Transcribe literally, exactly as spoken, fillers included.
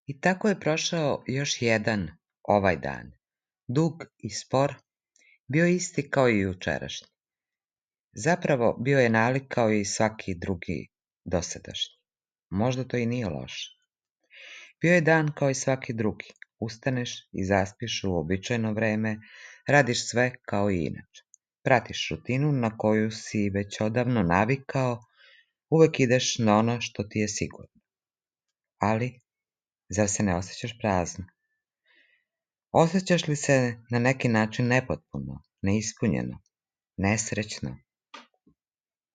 I tako je prošao još jedan, ovaj dan. Dug i spor, bio isti kao i jučerašnji. Zapravo bio je nalik kao i svaki drugi dosadašnji. Možda to i nije loše. Bio je dan kao i svaki drugi. Ustaneš i zaspiš u običajno vreme, radiš sve kao i inače. Pratiš rutinu na koju si već odavno navikao, uvek ideš na ono što ti je sigurno. Ali, zar se ne osjećaš prazno? Osjećaš li se na neki način nepotpuno, neispunjeno, nesrećno?